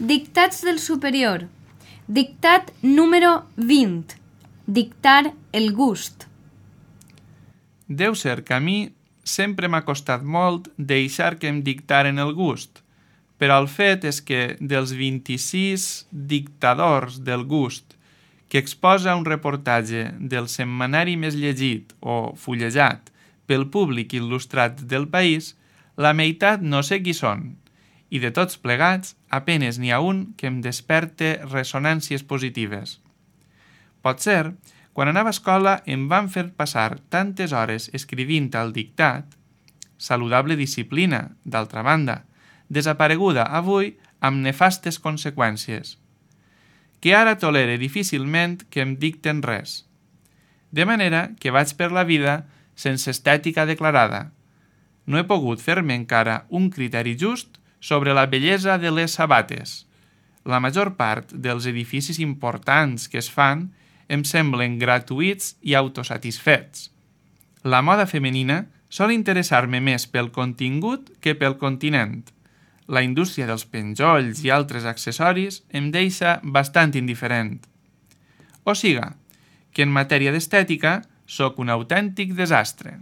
Dictats del superior. Dictat número 20. Dictar el gust. Deu ser que a mi sempre m'ha costat molt deixar que em dictaren el gust, però el fet és que dels 26 dictadors del gust que exposa un reportatge del setmanari més llegit o fullejat pel públic il·lustrat del país, la meitat no sé qui són, i de tots plegats apenes n'hi ha un que em desperte ressonàncies positives. Potser, quan anava a escola em van fer passar tantes hores escrivint el dictat, saludable disciplina, d'altra banda, desapareguda avui amb nefastes conseqüències, que ara tolere difícilment que em dicten res. De manera que vaig per la vida sense estètica declarada. No he pogut fer-me encara un criteri just sobre la bellesa de les sabates. La major part dels edificis importants que es fan em semblen gratuïts i autosatisfets. La moda femenina sol interessar-me més pel contingut que pel continent. La indústria dels penjolls i altres accessoris em deixa bastant indiferent. O siga, que en matèria d'estètica sóc un autèntic desastre.